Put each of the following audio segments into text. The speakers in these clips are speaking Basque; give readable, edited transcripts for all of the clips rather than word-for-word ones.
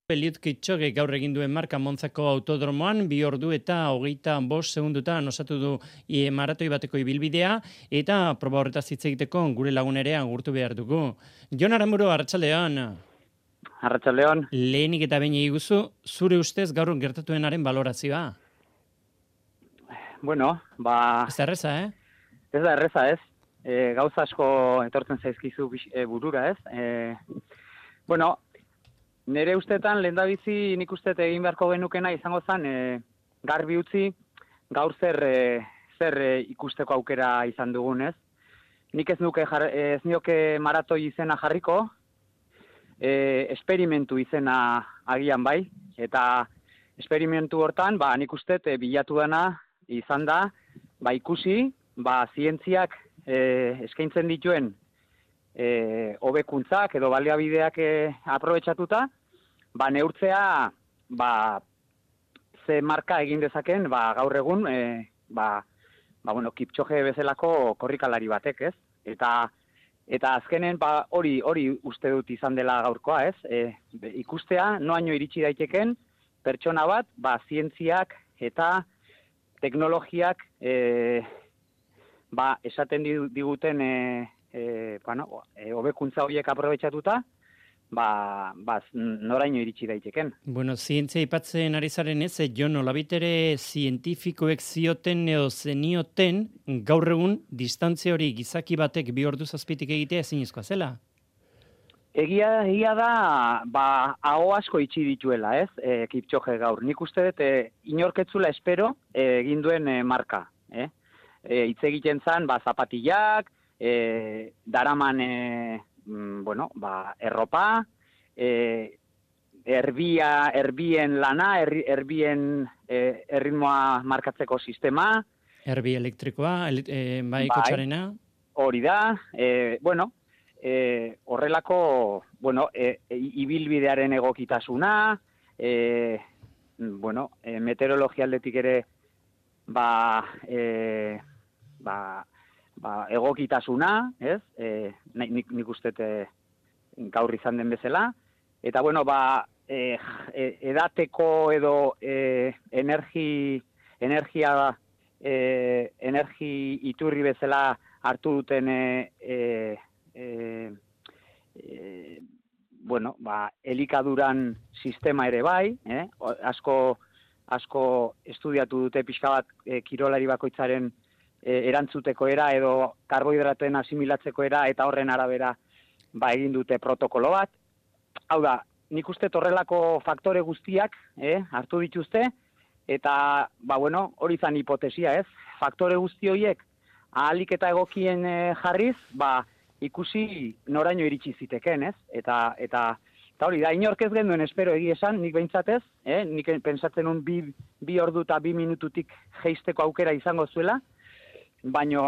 Eliud Kipchoge gaur egin duen marka Monzako autodromoan, 2 ordu eta 25 segundutan osatu du maratoi bateko ibilbidea, eta proba horretaz hitz egiteko gure lagun ere agurtu behar dugu. Jon Aramburu, arratsaldeon. Arratsaldeon. Lehenik eta behin eguzu, zure ustez gaur gertatuenaren balorazioa? Bueno, Ez da erreza, Ez da erreza, ez? Gauza asko etortzen zaizkizu burura, ez? Bueno, nire ustetan lehendabizi nik uste egin beharko genukena izango zen garbi utzi gaur zer ikusteko aukera izan dugun, ez? Nik ez nioke maratoi izena jarriko, esperimentu izena agian bai, eta esperimentu hortan, nik uste bilatu dena izan da, ikusi, zientziak eskaintzen dituen hobekuntzak edo baliabideak aprobetxatuta, neurtzea ze marka egin dezaken gaur egun Kipchoge bezalako korrikalari batek, ez? Eta azkenen hori uste dut izan dela gaurkoa, ez? Ikustea noaino iritsi daiteken pertsona bat, zientziak eta teknologiak esaten diguten hobekuntza horiek aprobetxatuta, noraino iritsi daiteken. Bueno, zientzia aipatzen ari zaren ez, jo nolabitere zientifikoek zioten edo zenioten gaur egun distantzia hori gizaki batek 2 ordu zazpitik egitea ezinezkoa zela? Egia da, aho asko itxi dituela, ez, Kipchoge gaur. Nik uste dut, inorketzula espero egin duen marka. Hitz egiten zen, zapatillak, daraman, erropa, erbien lana, erbien erritmoa markatzeko sistema. Erbi elektrikoa, kotxarena. Hori da, horrelako, ibilbidearen egokitasuna, meteorologia aldetik ere, egokitasuna, ez? Nik uste gaur izan den bezala. Eta, edateko edo energi iturri bezala hartu duten elikaduran sistema ere bai, asko estudiatu dute pixka bat kirolari bakoitzaren erantzuteko era edo karbohidraten asimilatzeko era eta horren arabera egin dute protokolo bat. Hau da, nik uste horrelako faktore guztiak hartu dituzte eta hori zan hipotesia, ez? Faktore guzti horiek ahalik eta egokien jarriz, ikusi noraino iritsi ziteken, ez? Eta hori da, inork ez genuen espero egia esan, nik behintzatez, nik pentsatzen un 2 ordu eta 2 minututik jeisteko aukera izango zuela, baina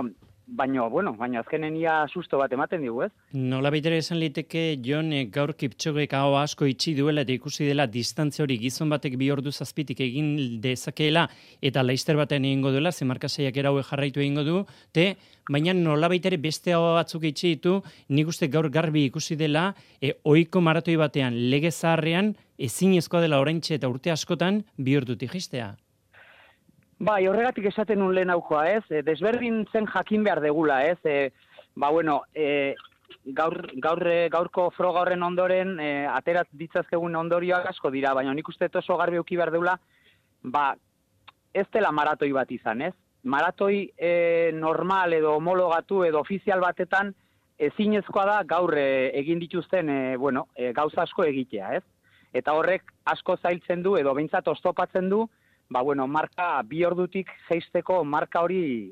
azkenen ia susto bat ematen digu, ez? Nola baitere esan liteke, Jon, gaur Kipchogek hau asko itxi duela eta ikusi dela distantzia hori gizon batek 2 ordu zazpitik egin dezakeela eta laister batean egingo duela, zemarka saiakera hauek jarraitu egingo du, baina nola baitere beste hau batzuk itxi ditu, nik uste gaur garbi ikusi dela, ohiko maratoi batean, lege zaharrean, ezinezkoa dela oraintxe eta urte askotan 2 ordutik jaistea. Horregatik esaten un lehen aukoa, ez? Desberdin zen jakin behar degula, ez? Gaurko froga horren ondoren, aterat ditzazkegun ondorioak asko dira, baina nik uste oso garbi euki behar degula, ez dela maratoi bat izan, ez? Maratoi normal edo homologatu edo ofizial batetan ezinezkoa da gaur egin dituzten, gauza asko egitea, ez? Eta horrek asko zailtzen du edo behintzat oztopatzen du, marka 2 ordutik jeisteko marka hori,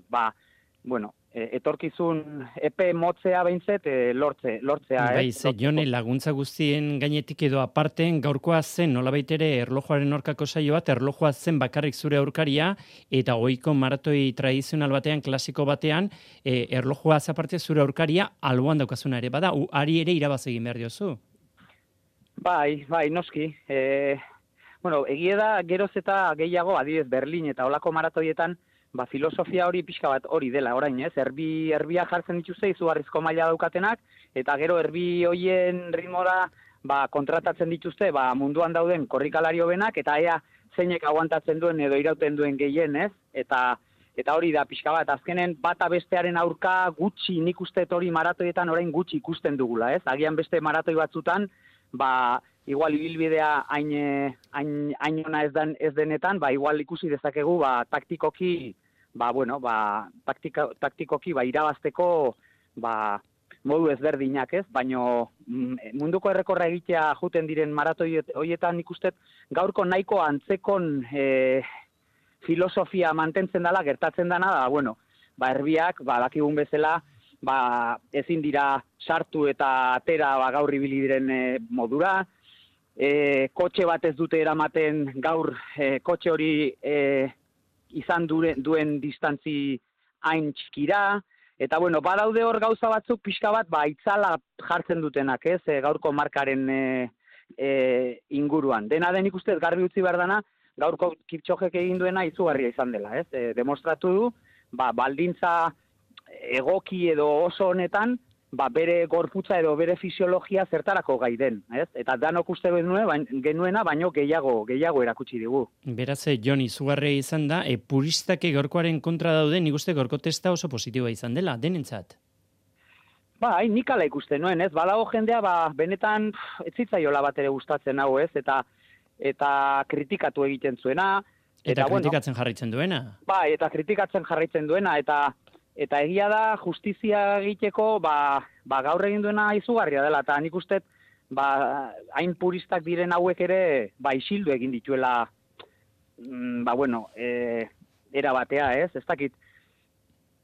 etorkizun epe motzea behintzet lortzea. Jone, laguntza guztien gainetik edo aparten gaurkoa zen, nolabait ere erlojuaren aurkako saio bat, erlojua zen bakarrik zure aurkaria, eta ohiko maratoi tradizional batean, klasiko batean, erlojua aparte zure aurkaria alboan daukazuna ere, bada, ari ere irabaz egin behar diozu. Bai, noski. Egia da, geroz eta gehiago, adibidez Berlin eta olako maratoietan, filosofia hori pixka bat hori dela, orain, ez? Erbia jartzen dituzte, izugarrizko maila daukatenak, eta gero erbi hoien ritmora, kontratatzen dituzte munduan dauden korrikalari hobenak, eta ea zeinek aguantatzen duen edo irauten duen gehien, ez? Eta hori da pixka bat, azkenen bata bestearen aurka gutxi, nik uste hori maratoietan orain gutxi ikusten dugula, ez? Agian beste maratoi batzutan, igual ibilbidea hain ona ez denetan, igual ikusi dezakegu, taktikoki, taktikoki, irabazteko, modu ezberdinak, ez? Baino munduko errekorra egitea juten diren maratoi horietan ikusten gaurko nahiko antzekon filosofia mantentzen dela, gertatzen dana da, erbiak, dakigun bezala, ezin dira sartu eta atera gaur ibili diren modura, kotxe bat ez dute eramaten gaur kotxe hori izan duen distantzi hain txikira, eta badaude hor gauza batzuk pixka bat, itzala jartzen dutenak, ez, gaurko markaren inguruan. Dena den ikustez garbi utzi behar dana, gaurko Kipchogek egin duena izugarria izan dela, ez? Demostratu du, baldintza egoki edo oso honetan, bere gorputza edo bere fisiologia zertarako gai den, ez? Eta danok uste genuena, baino gehiago erakutsi digu. Beraz, Jon, izugarria izan da, puristak gaurkoaren kontra dauden, nik uste gaurko testa oso positiboa izan dela, denentzat. Nik ala ikusten nuen, ez? Badago jendea, benetan ez zitzaiola bat ere gustatzen hau, ez? Eta kritikatu egiten zuena. Eta kritikatzen jarraitzen duena. Eta kritikatzen jarraitzen duena, eta egia da justizia egiteko, gaur egin duena izugarria dela, eta nik uste, hain puristak diren hauek ere, isildu egin dituela, era batea, ez? Ez dakit.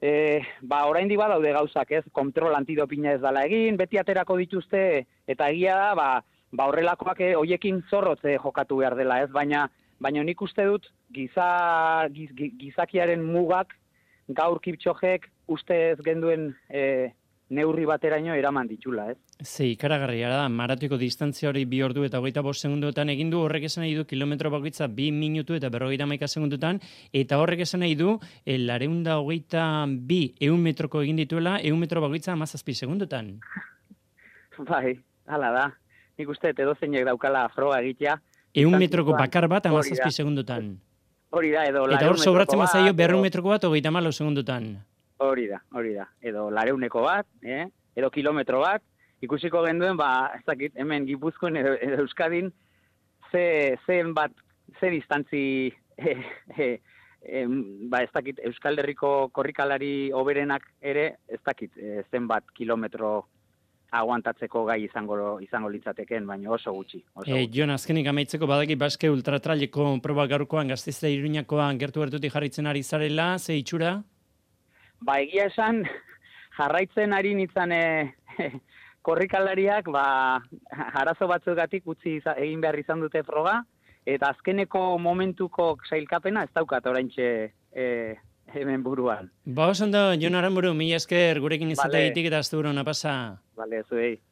Oraindik badaude gauzak, ez? Kontrol antidopina ez dela egin, beti aterako dituzte, eta egia da, horrelakoak hoiekin zorrotze jokatu behar dela, ez? Baina nik uste dut gizakiaren mugak gaur Kipchogek uste ez genduen neurri bateraino eraman ditula, ez? Ikaragarria da, maratoiko distantzia hori 2 ordu eta 25 segunduetan egin du, horrek esan nahi du kilometro bakoitza 2 minutu eta 51 segundutan, eta horrek esan nahi du 222 100 metroko egin dituela, 100 metro bakoitza 17 segundutan. Hala da. Nik uste, edozeinek daukala froga egitea. 100 metroko bakar bat 17 segundutan. Hori da, edo eta hor sobratzen mazaio 200 metroko bat 34 segundutan. Hori da. Edo 200 bat, edo kilometro bat, ikusiko genduen, ez dakit, hemen Gipuzkoan edo Euskadin, ze distantzi, ez dakit, Euskal Herriko korrikalari hoberenak ere, ez dakit, zenbat kilometro aguantatzeko gai izango litzateken, baina oso gutxi. Jon, azkenik amaitzeko badaki Baske ultratraileko proba gaurkoan Gasteiz eta Iruñakoan gertutik jarraitzen ari zarela, ze itxura? Egia esan, jarraitzen ari nintzen korrikalariak, arazo batzugatik utzi egin behar izan dute froga, eta azkeneko momentuko sailkapena ez daukat oraintxe hemen buruan. Oso ondo, Jon Aramburu, mila esker gurekin izateagatik eta asteburua ona pasa. Bale, zuei.